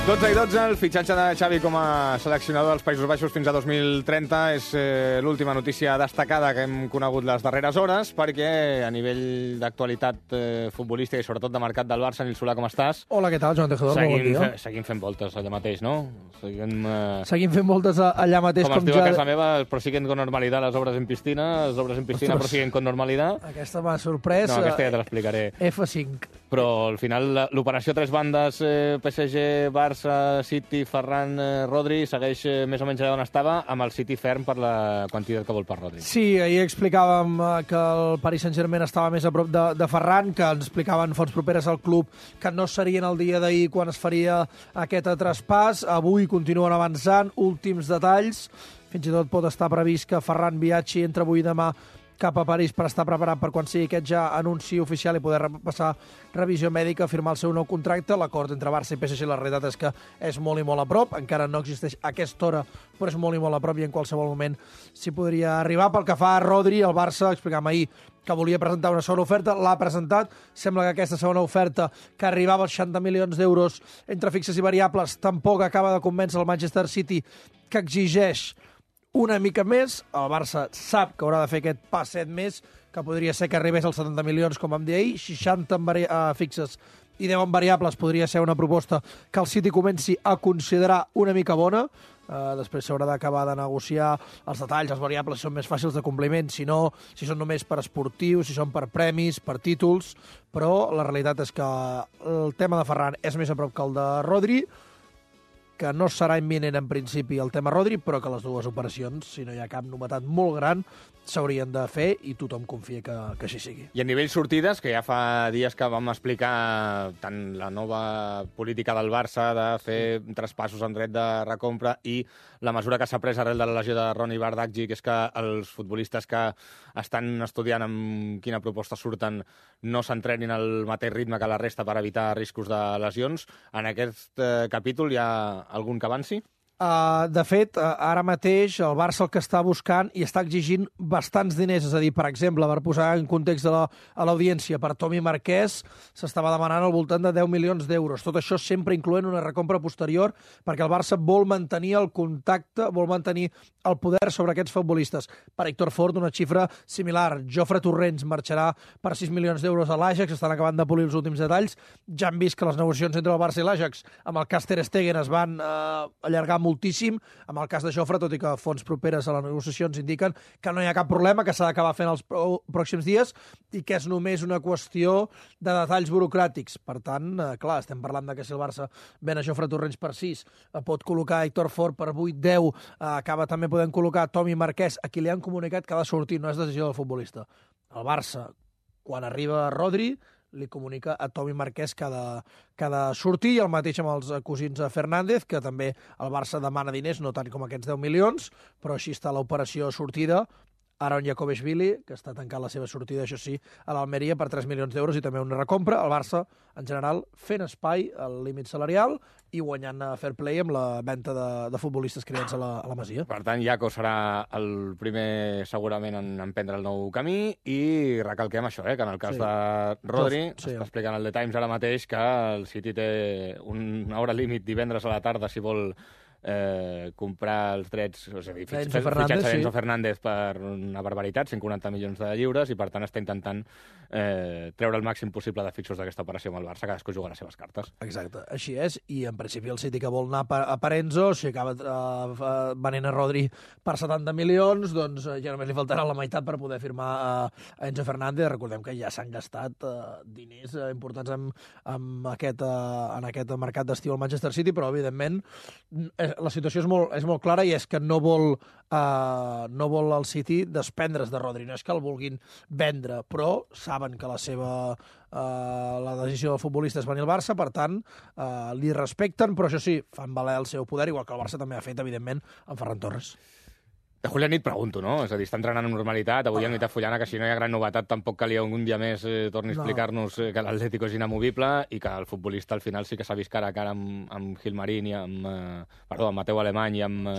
12:12, el fitxatge de Xavi com a seleccionador dels Països Baixos fins a 2030 és l'última notícia destacada que hem conegut les darreres hores, perquè a nivell d'actualitat futbolística i sobretot de mercat del Barça, Nil Solà, com estàs? Hola, què tal, Joan Tejedor? Molt bon dia. Seguim fent voltes allà mateix, no? Seguim fent voltes allà mateix. Com es diu a casa meva, prosiguen con normalidad las obras en piscina, les obres en piscina prosiguen con normalidad. Aquesta m'ha sorprès. No, aquesta ja te l'explicaré. F5. Però al final l'operació tres bandes, PSG, Barça, City, Ferran, Rodri, segueix més o menys allà on estava, amb el City ferm per la quantitat que vol per Rodri. Sí, ahir explicàvem que el Paris Saint-Germain estava més a prop de Ferran, que ens explicaven fonts properes al club que no serien el dia d'ahir quan es faria aquest traspàs. Avui continuen avançant, últims detalls. Fins i tot pot estar previst que Ferran viatgi entre avui i demà cap a París per estar preparat per quan sigui aquest ja anunci oficial i poder passar revisió mèdica, firmar el seu nou contracte. L'acord entre Barça i PSG, la realitat és que és molt i molt a prop. Encara no existeix a aquesta hora, però és molt i molt a prop i en qualsevol moment s'hi podria arribar. Pel que fa a Rodri, el Barça, explicàvem ahir que volia presentar una segona oferta, l'ha presentat. Sembla que aquesta segona oferta, que arribava als 60 milions d'euros entre fixes i variables, tampoc acaba de convèncer el Manchester City, que exigeix una mica més. El Barça sap que haurà de fer aquest passet més, que podria ser que arribés als 70 milions, com vam dir ahir, 60 en fixes i 10 en variables. Podria ser una proposta que el City comenci a considerar una mica bona. Després s'haurà d'acabar de negociar els detalls, els variables, si són més fàcils de compliment, si no, si són només per esportius, si són per premis, per títols, però la realitat és que el tema de Ferran és més a prop que el de Rodri, que no serà imminent en principi el tema Rodri, però que les dues operacions, si no hi ha cap novetat molt gran, s'haurien de fer i tothom confia que així sigui. I a nivell sortides, que ja fa dies que vam explicar tant la nova política del Barça de fer traspassos en dret de recompra i la mesura que s'ha pres arrel de la lesió de Ronny Bardghji, que és que els futbolistes que estan estudiant amb quina proposta surten no s'entrenin al mateix ritme que la resta per evitar riscos de lesions. En aquest capítol hi ha algun que avanci? De fet, ara mateix el Barça el que està buscant i està exigint bastants diners, és a dir, per exemple, per posar en context a l'audiència, per Tomi Marquès s'estava demanant al voltant de 10 milions d'euros. Tot això sempre incloent una recompra posterior, perquè el Barça vol mantenir el contacte, vol mantenir el poder sobre aquests futbolistes. Per Héctor Ford, una xifra similar. Jofre Torrents marxarà per 6 milions d'euros a l'Ajax, estan acabant de polir els últims detalls. Ja hem vist que les negociacions entre el Barça i l'Ajax amb el cas Ter Stegen es van allargar moltíssim. Amb el cas de Jofre, tot i que fonts properes a les negociacions indiquen que no hi ha cap problema, que s'ha d'acabar fent els pròxims dies i que és només una qüestió de detalls burocràtics. Per tant, clar, estem parlant de que si el Barça ven a Jofre Torrents per 6, pot col·locar Héctor Ford per 8, 10, acaba també podent col·locar Tomi Marquès, a qui li han comunicat que ha de sortir, no és decisió del futbolista. El Barça, quan arriba Rodri, li comunica a Tomi Marquès que ha de sortir, i el mateix amb els cosins Fernández, que també el Barça demana diners, no tant com aquests 10 milions, però així està l'operació sortida. Aaron Jakoveshvili, que està tancant la seva sortida, això sí, a l'Almeria per 3 milions d'euros i també una recompra. El Barça, en general, fent espai al límit salarial i guanyant a fair play amb la venda de futbolistes creats a la Masia. Per tant, Jaco serà el primer, segurament, en emprendre el nou camí, i recalquem això, que en el cas de Rodri, està explicant el The Times ara mateix que el City té una hora límit divendres a la tarda si vol comprar els drets, és a dir, fitxatge d'Enzo Fernández per una barbaritat, 140 milions de lliures, i per tant està intentant treure el màxim possible de fixos d'aquesta operació amb el Barça, cadascú juga les seves cartes. Exacte, així és, i en principi el City que vol anar per Enzo, si acaba venent a Rodri per 70 milions, doncs ja només li faltarà la meitat per poder firmar a Enzo Fernández. Recordem que ja s'han gastat diners importants en aquest mercat d'estiu al Manchester City, però evidentment la situació és molt clara, i és que no vol el City desprendre's de Rodri. No és que el vulguin vendre, però saben que la decisió del futbolista és venir al Barça, per tant, li respecten, però això sí, fan valer el seu poder, igual que el Barça també ha fet, evidentment, amb Ferran Torres. De Julián et pregunto, no? És a dir, està entrenant amb normalitat. Avui en Nit Fullana, que si no hi ha gran novetat, tampoc calia un dia més torni a explicar-nos que l'Atlético és inamovible i que el futbolista al final sí que s'ha vist cara a cara amb Gilmarín i amb Mateu Alemany i amb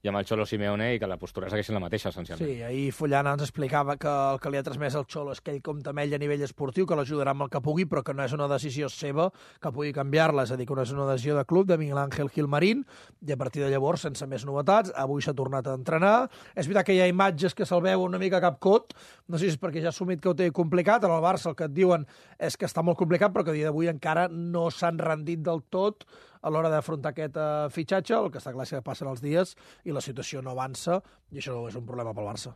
i amb el Xolo Simeone i que la postura segueixi la mateixa, essencialment. Sí, ahir Fullana ens explicava que el que li ha transmès el Xolo és que ell compta amb ell a nivell esportiu, que l'ajudarà amb el que pugui, però que no és una decisió seva, que pugui canviar-la, és a dir, que no és una decisió de club, de Miguel Ángel Gilmarín, i a partir de llavors, sense més novetats, avui s'ha tornat a entrenar. És veritat que hi ha imatges que se'l veu una mica capcot, no sé si és perquè ja ha assumit que ho té complicat, en el Barça el que et diuen és que està molt complicat, però que a dia d'avui encara no s'han rendit del tot a l'hora d'afrontar aquest fitxatge. El que està clar és que passen els dies i la situació no avança, i això és un problema pel Barça.